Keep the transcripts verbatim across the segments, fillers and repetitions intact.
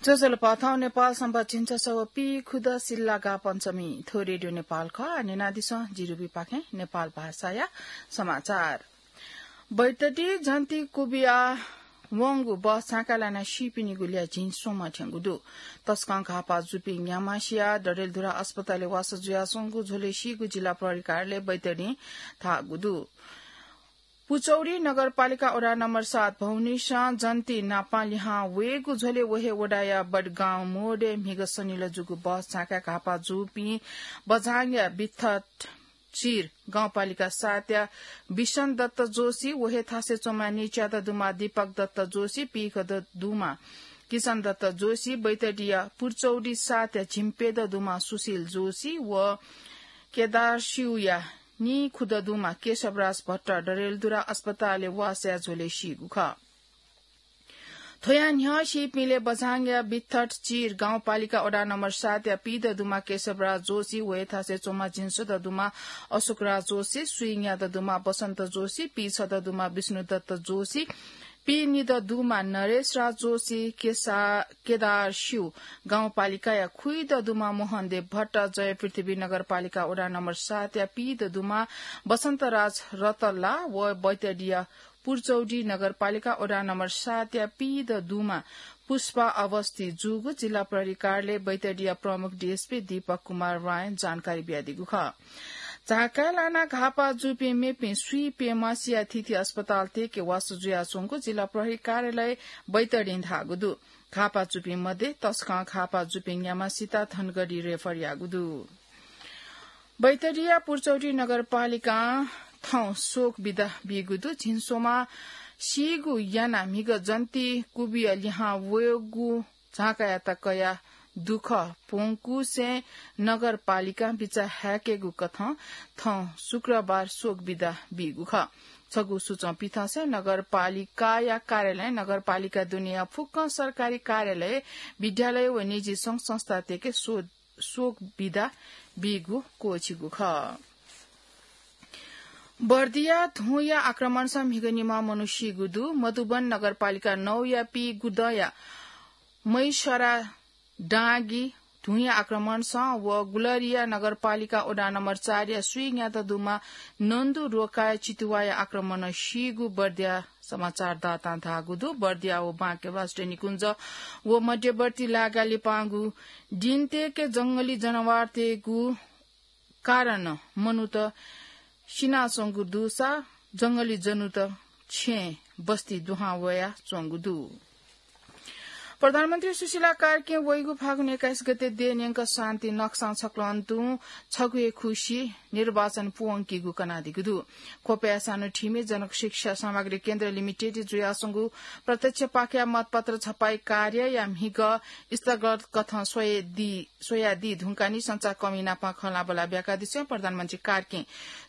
ज्वजलपा, थौं नेपाल संवत् झिंछसः व पीखुदँ सिल्लागा पञ्चमी। थ्व रेडियो नेपाल खः। न्यनादिसँ, जि रुबीपाखें नेपाल भाषाया समाचार। बैतडी जन्ती कुबिया वंगु बस झाँकाय् लानाः सीपिनिगु ल्याः झिंस्वम्ह थ्यंगु दु। तसकं घाःपाः जूपिं न्याम्हसिया डडेलधुरा अस्पतालय् वासः जुयाच्वंगु झ्वलय् सीगु जिल्ला प्रहरी कार्यालय बैतडीं धाःगु दु। पुचौडी नगरपालिका वडा नम्बर सात भौनिसं जन्ती नापं लिहां वयेगु झ्वलय् व हे वडाया बडगाउँ मोडय् म्हिगः सनिलय् जूगु बस झाँकाय् घाःपाः जूपिं बझाङया बिथट चिर गाउँपालिका सातया बिशन दत्त जोशी, व हे थासय् च्वंम्ह नीच्यादँ दुम्ह दीपक दत्त जोशी, पीखदँ दुम्ह किशन दत्त जोशी, बैतडीया पुचौडी सातया झिंप्यदँ दुम्ह सुशील जोशी व केदारस्युया नीखुदँ दुम्ह केशवराज भट्ट डडेलधुरा अस्पतालय् वासः जुया झ्वलय् सीगु खः। थ्वयां न्ह्यः सीपिंलय् बझाङया बिथट चिर गाउँपालिका वडा नम्बर सातया पीदँ दुम्ह केशवराज जोशी, व हे थासय् च्वंम्ह झिंस्वदँ दुम्ह अशोकराज जोशी, स्वीन्यादँ दुम्ह बसन्त जोशी, पीछदँ दुम्ह विष्णुदत्त जोशी, पीनिदँ दुम्ह नरेशराज जोशी, केसा-, केदारस्यु गाउँपालिकाया खुइदँ दुम्ह मोहनदेव भट्ट, जयपृथ्वी नगरपालिका वडा नम्बर सातया पीदँ दुम्ह बसन्तराज रतल्ला व बैतडीया पुचौडी नगरपालिका वडा नम्बर सातया पीदँ दुम्ह पुष्पा अवस्थी जूगु जिल्ला प्रहरी कार्यालय बैतडीया प्रमुख डीएसपी दीपक कुमार रायं जानकारी बियादीगु खः। झाँकाय् लानाः घाःपाः जूपिं मेपिं स्वीप्यम्हसिया थीथी अस्पताल तय्के वासः जुयाच्वंगु जिल्ला प्रहरी कार्यालय बैतडीं धाःगु दु। घाःपाः जूपिं मध्ये तसकं घाःपाः जूपिं न्याम्हसित धनगढी रेफर याःगु दु। बैतडीया पुचौडी नगरपालिकां थौं शोक बिदा बीगु दु। झिंस्वम्ह सीगु यानाः म्हिगः जन्ती कुबिया लिहां वयेगु झाँकायात कयाः दुःख प्वंकुसें नगरपालिकां बिचाः हाय्केगु कथं थौं शुक्रबार शोक बिदा बीगु खः। छगू सूचं पिथंसें नगरपालिकाया कार्यालयं नगरपालिका दुनेया फुक्कं सरकारी कार्यालय, विद्यालय व निजी संघ संस्था तय्के शो-, शोक बिदा बीगु क्वःछिगु खः। बर्दिया धुंया आक्रमणसं म्हिगः निम्ह मनू सीगु दु। मधुबन नगरपालिका नौया पीगुदँया मैसरा डाँगी धुंया आक्रमणसं व गुलरिया नगरपालिका वडा नम्बर चारया स्वीन्यादँ दुम्ह नन्दु रोकाया चितुवाया आक्रमणं सीगु बर्दिया समाचारदातां धाःगु दु। बर्दिया व बाँके राष्ट्रिय निकुञ्ज व मध्यवर्ती लागा लिपांगु दिं तय्के जंगली जनावरतय्गु कारणं मनूत सिनाच्वंगु दुसा जंगली जनूत छेँय् बस्ती दुहां वयाच्वंगु दु। प्रधानमन्त्री सुशीला कार्कीं वइगु फागुन एक्काइस गते देय् न्यंक शान्ति नक्सां छक्लं तुं छगू हे खुसि निर्वाचन पूवंकीगु कनादीगु दु। ख्वपया सानु थिमि जनशिक्षा सामग्री केन्द्र लिमिटेडय् जुयाच्वंगु प्रत्यक्ष पाखेया मतपत्र छपाई कार्यया म्हिगः स्थगत कथं स्वयादी, स्वयादी धुंकाः नि संचारकर्मी नाप खँल्हाबल्हा ब्याकादिसें प्रधानमन्त्री कार्कीं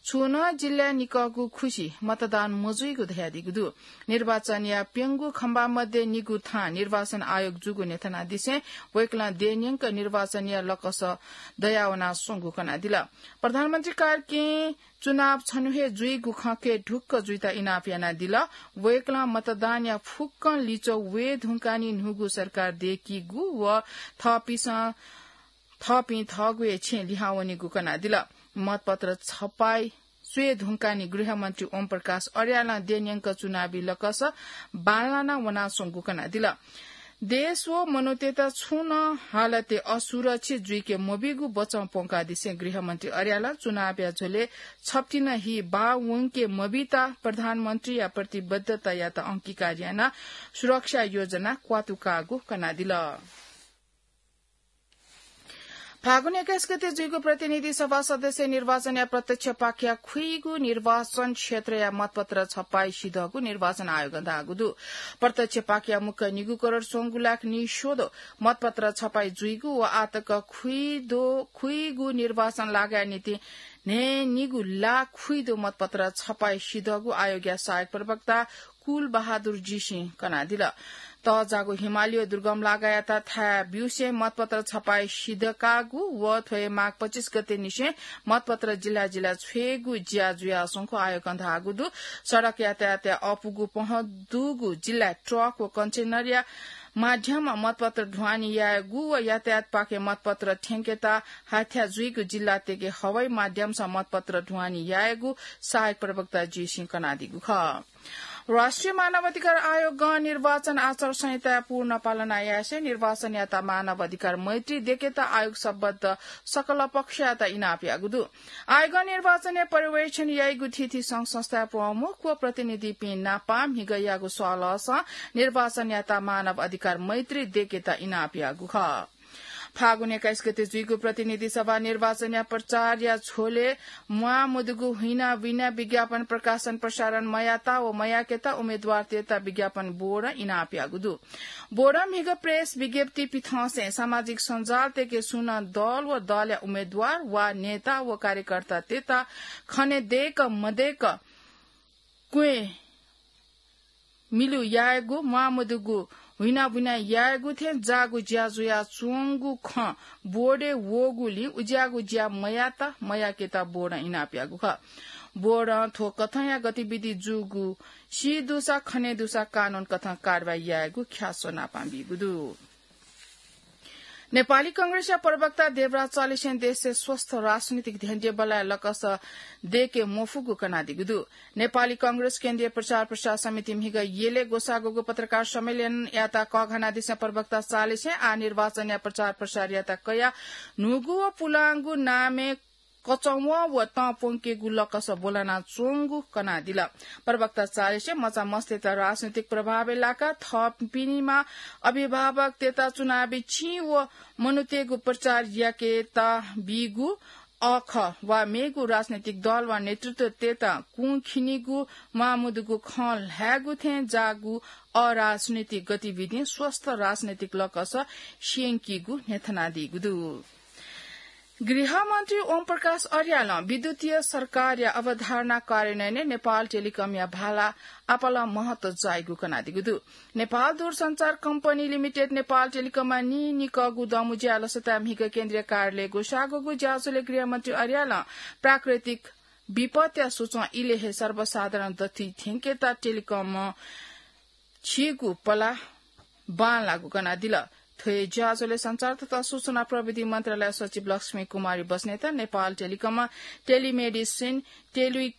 छुं नं जिल्लाय् निकःगु खुसि मतदान मजुइगु धयादीगु दु। निर्वाचनया प्यंगू खम्बा मध्ये निगू थां निर्वाचन आयोग जूगु न्ह्यथनादिसें वय्कलं देय् न्यंक निर्वाचनया लकस दयावनाच्वंगु कनादिल। प्रधानमन्त्री कार्कीं चुनाव छन्हु हे जुइगु खँ कय् ढुक्क जुइत इनाप यानादिल। वय्कलं मतदानया फुक्कं लिच्वः वये धुंकाः नि न्हूगु सरकार दय्कीगु व थःपिसं, थःपिं थःगु हे छेँय् लिहां वनीगु कनादिल। मतपत्र छपाई स्वये धुंकाः नि गृहमन्त्री ओम प्रकाश अर्यालं देय् न्यंक चुनावी लकस बांलाना वनाच्वंगु कनादिल। देश व मनूतय्त छुं नं हालतय् असुरक्षित जुइके मबीगु बचं प्वंकादिसें गृहमन्त्री अर्यालं चुनावया झ्वलय् छप्तिं नं हि बाः वंके मबीत प्रधानमन्त्रीया प्रतिबद्धतायात अंगीकार यानाः सुरक्षा योजना क्वातुकाःगु कनादिल। फागुन एक्काइस गते जुइगु प्रतिनिधि सभा सदस्य निर्वाचनया प्रत्यक्ष पाखेया खुइगू निर्वाचन क्षेत्रया मतपत्र छपाई सिधःगु निर्वाचन आयोगं धाःगु दु। प्रत्यक्ष पाखेया मुक्क निगू करोड स्वंगू लाख निस्वदँ मतपत्र छपाई जुइगु व आःतक खुइदो, खुइगू निर्वाचन लागाया निंतिं न्हय्निगू लाख खुइदो मतपत्र छपाई सिधःगु आयोगया सहायक प्रवक्ता कुल बहादुर जीसिं कनादिल। तःजाःगु हिमालय दुर्गम लागायात थाय् ब्यूसें मतपत्र छपाई सिधकाःगु व थ्व हे माघ पच्चिस गते निसें मतपत्र जिल्ला जिल्ला छ्वयेगु ज्या जुयाच्वंगु आयोगं धाःगु दु। सडक यातायातया अपुगु पहँ दुगु जिल्लाय् ट्रक व कन्टेनरया माध्यमं मतपत्र ढुवानी यायेगु व यातायातपाखें मतपत्र थ्यंकेत हाथ्या जुइगु जिल्लातय्के हवाई माध्यमसं मतपत्र ढुवानी यायेगु सहायक प्रवक्ता जीसिं कनादीगु खः। राष्ट्रिय मानव अधिकार आयोगं निर्वाचन आचार संहिता पूर्ण पालना यासें निर्वाचनयात मानव अधिकार मैत्री देकेत आयोग सम्बद्ध सकल पक्षयात इनाप याःगु दु। आयोगं निर्वाचनया पर्यवेक्षण याइगु थीथी संघ संस्थाया प्रमुख व प्रतिनिधिपिं नापं म्हिगः याःगु सल्लाहसं निर्वाचनयात मानव अधिकार मैत्री देकेत इनाप याःगु खः। फागुन एक्काइस गते जुइगु प्रतिनिधि सभा निर्वाचनया प्रचारया झ्वलय् म्वाःमदुगु हुइना बुइना विज्ञापन प्रकाशन प्रसारण मयात व मयाकेत उम्मेदवारतय्त विज्ञापन बोर्डं इनाप याःगु दु। बोर्डं म्हिगः प्रेस विज्ञप्ति पिथंसें सामाजिक सञ्जालतय्के सुं नं दल व दलया उम्मेदवार वा नेता व कार्यकर्तातय्त खने दय्क मदय्क क्वय् मिलु यायेगु, म्वाःमदुगु हुइना बुइना यायेगु थें जाःगु ज्या जुयाच्वंगु खँ बोर्डय् वःगुलिं उज्याःगु ज्या मयात मयाकेत बोर्डं इनाप याःगु खः। बोर्डं थ्व कथंया गतिविधि जूगु सी दुसा खने दुसा कानून कथं कारवाही यायेगु ख्याच्वः नापं बीगु दु। नेपाली कांग्रेसया प्रवक्ता देवराज चौधरीसें देशय् स्वस्थ राजनीतिक ध्यंजय् बलय् लकस दय्के मफुगु कनादीगु दु। नेपाली कांग्रेस केन्द्रीय प्रचार प्रसार समिति म्हिगः यलय् ग्वसाः ग्वःगु पत्रकार सम्मेलनयात कःघानादिसें प्रवक्ता चौधरीसें आः निर्वाचनया प्रचार प्रसारयात कयाः न्हूगु व पुलांगु नामय् कचंवः व तं प्वंकेगु लकस ब्वलानाच्वंगु कनादिल। प्रवक्ता चौधरीसें मचा मस्तय्त राजनीतिक प्रभावय् लाकाः थःपिनिमा अभिभावकतय्त चुनावी चिं व मनूतय्गु प्रचार याकेत बीगु अःखः वा मेगु राजनीतिक दल वा नेतृत्वतय्त कुंखिनिगु म्वाःमदुगु खँ ल्हायेगु थें जाःगु अराजनीतिक गतिविधिं स्वस्थ राजनीतिक लकस स्यंकीगु न्ह्यथनादीगु दु। गृहमन्त्री ओम प्रकाश अर्यालं विद्युतीय सरकारया अवधारणा कार्यान्वयनय् नेपाल टेलिकमया भाला आपालं महत्व जाइगु कनादीगु दु। नेपाल दूरसञ्चार कम्पनी लिमिटेड नेपाल टेलिकमं नीनिकःगु दँमुँज्याय् लसताय् म्हिगः केन्द्रीय कार्यालयय् ग्वसाः ग्वःगु ज्याझ्वलय् गृहमन्त्री अर्यालं प्राकृतिक विपत्या सुचं इलय् हे सर्वसाधारण दथुइ थ्यंकेत टेलिकमं झीगु पलाः बांलाःगु कनादिल। थ्व हे ज्याझ्वलय् सञ्चार तथा सूचना प्रविधि मन्त्रालय सचिव लक्ष्मी कुमारी बस्नेत, नेपाल टेलिकमं टेलिमेडिसिन, टेलि-,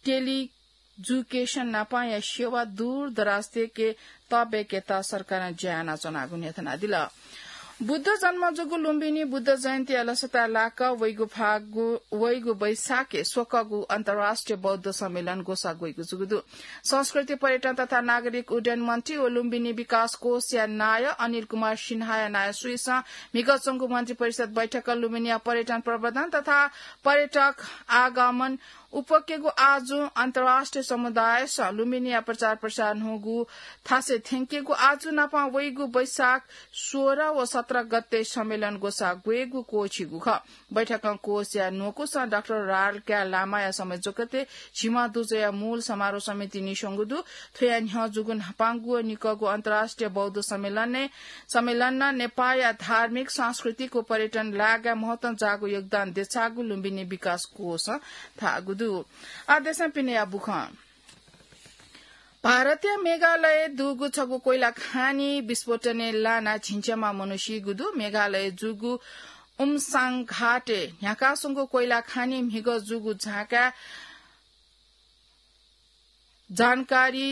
टेलिजुकेशन नापंया सेवा दूरदराजतय्के तःब्याकेत सरकारं ज्या यानाच्वनागु न्ह्यथनादिल। बुद्ध जन्म जूगु लुम्बिनी बुद्ध जयन्तीया लसताय् लाकाः वइगु फागु, वइगु वैशाखय् स्वकःगु अन्तर्राष्ट्रिय बौद्ध सम्मेलन ग्वसाः ग्वइगु जूगु दु। संस्कृति, पर्यटन तथा नागरिक उड्डयन मन्त्री व लुम्बिनी विकास कोषया नायः अनिल कुमार सिन्हाया नायः सुइसं म्हिगः च्वंगु मन्त्री परिषद बैठकं लुम्बिनीया पर्यटन प्रवर्धन तथा पर्यटक आगमन उपकेगु आजु अन्तर्राष्ट्रिय समुदायसं लुम्बिनीया प्रचार प्रसार न्हूगु थासय् थ्यंकेगु आजु नापं वइगु वैशाख सोह्र व सत्र गते सम्मेलन ग्वसाः ग्वयेगु क्वःछिइगु खः। बैठकं कोषया न्वकुसं डाक्टर रालकाय् लामाया संयोजकत्वय् झिम्ह दुजःया मूल समारोह समिति निस्वंगु दु। थ्वया न्ह्यः जूगु न्हापांगु व निकःगु अन्तर्राष्ट्रिय बौद्ध सम्मेलनय्, सम्मेलनं नेपाःया धार्मिक, सांस्कृतिक व पर्यटन लागाय् महत्वं जाःगु योगदान देछाःगु लुम्बिनी विकास कोषं धाःगु दु। आः देशं पिनेया बुखँ। भारतया मेघालयय् दुगु छगू कोइला खानी विस्फोटनय् लानाः झिंछ्यामा मनू सीगु दु। मेघालयय् जूगु उमसाङ घाटय् न्ह्याकाः स्वंगु कोइला खानी म्हिगः जूगु झाँकाय् जानकारी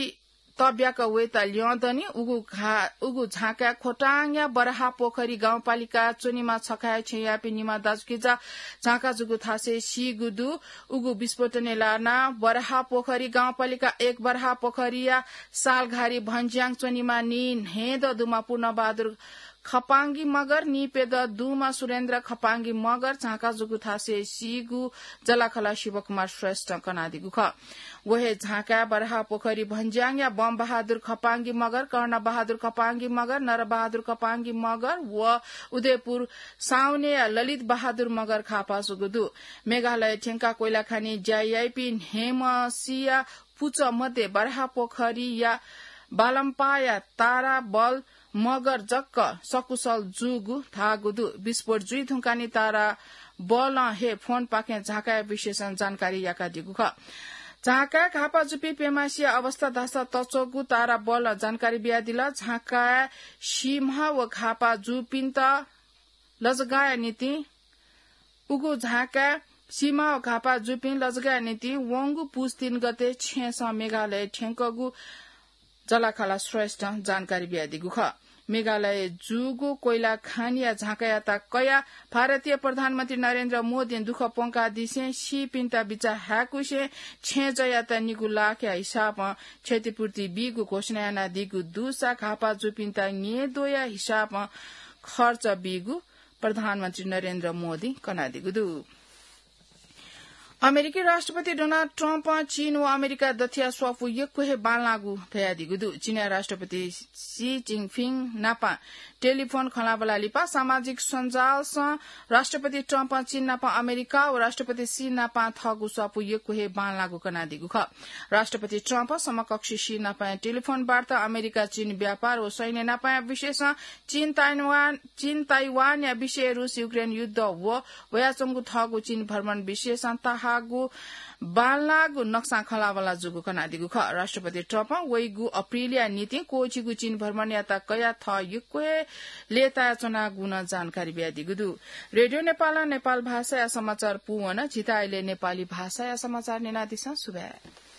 तब्याक वयेत ल्यं दनि। उगु घा-, उगु झाँकाय् खोटाङया बराहा पोखरी गाउँपालिका च्वनेमा छखाय् छेँयापिं निम्ह दाजुकिजा झाँका जूगु थासय् सीगु दु। उगु विस्फोटनय् लानाः बराहा पोखरी गाउँपालिका एक बराहा पोखरीया सालघारी भन्ज्याङ च्वनेमा नीन्हय्दँ दुम्ह पूर्णबहादुर खपांगी मगर, नीप्यदँ दुम्ह सुरेन्द्र खपांगी मगर झाँका जूगु थासय् सीगु जलाखला शिवकुमार श्रेष्ठं कनादीगु खः। व हे झाँकाय् बराहा पोखरी भन्ज्याङया बमबहादुर खपांगी मगर, कर्णबहादुर खपांगी मगर, नरबहादुर खपांगी मगर व उदयपुर साउनेया ललित बहादुर मगर खापा जूगु दु। मेघालय थ्यंकाः कोइला खानी ज्या याइपिं न्हय्म्हसिया पुचः मध्ये बराहा पोखरीया बालम्पाया तारा बल मगर जक सकुशल जूगु धाःगु दु। विस्फोट जुइ धुंकाः नि तारा बलं हे फोनपाखें झाँकाया विषयसं जानकारी याकादीगु खः। झाँकाय् घाःपाः जूपिं प्यम्ह सिया अवस्था धाःसा तच्वःगु तारा बलं जानकारी बियादिल। झाँकाय् सीम्ह व घाःपाः जूपिन्त लजगाःया निंतिं उगु झाँकाय् सीम्ह व घाःपाः जूपिं लजगाःया निंतिं वंगु पुस तीन गते छेँसं मेघालय थ्यंकूगु जलाखाला श्रेष्ठं जानकारी बियादीगु खः। मेघालय जूगु कोइला खानीया झाँकायात कयाः भारतीय प्रधानमन्त्री नरेन्द्र मोदीं दुःख प्वंकादिसें सीपिन्त बिचाः हाय्कुसें छेँजःयात निगू लाखया हिसाबं क्षतिपूर्ति बीगु घोषणा यानादीगु दुसा घाःपाः जूपिन्त न्येद्वःया हिसाबं खर्च बीगु प्रधानमन्त्री नरेन्द्र मोदीं कनादीगु दु। अमेरिकी राष्ट्रपति डोनाल्ड ट्रम्पं चीन व अमेरिका दथुया स्वापू यक्व हे बांलाःगु धयादीगु दु। चीनया राष्ट्रपति सी जिनपिङ नापं टेलिफोन खँल्हाबल्हा लिपा सामाजिक सञ्जालसं राष्ट्रपति ट्रम्पं चीन नापं अमेरिका व राष्ट्रपति सी नापं थःगु स्वापू यक्व हे बांलाःगु कनादीगु खः। राष्ट्रपति ट्रम्प समकक्षी सी नापं टेलिफोन वार्ता, अमेरिका चीन व्यापार व सैन्य नापं विषयसं चीन ताइवान, चीन ताइवानया विषय, रूस युक्रेन युद्ध व वयाच्वंगु थःगु चीन भ्रमण विषयसं तःहाःगु बांलाःगु नक्सां खँल्हाबल्हा जूगु कनादीगु खः। राष्ट्रपति ट्रम्पं वइगु अप्रिलया निंतिं क्वःछिगु चीन भ्रमणयात कयाः थः यक्व हे लय्तायाच्वनागु नं जानकारी बियादीगु दु। रेडियो नेपालं नेपाल भाषाया समाचार पूवन। झीत अले नेपाली भाषाया समाचार न्यनादिसँ। सुभाय्।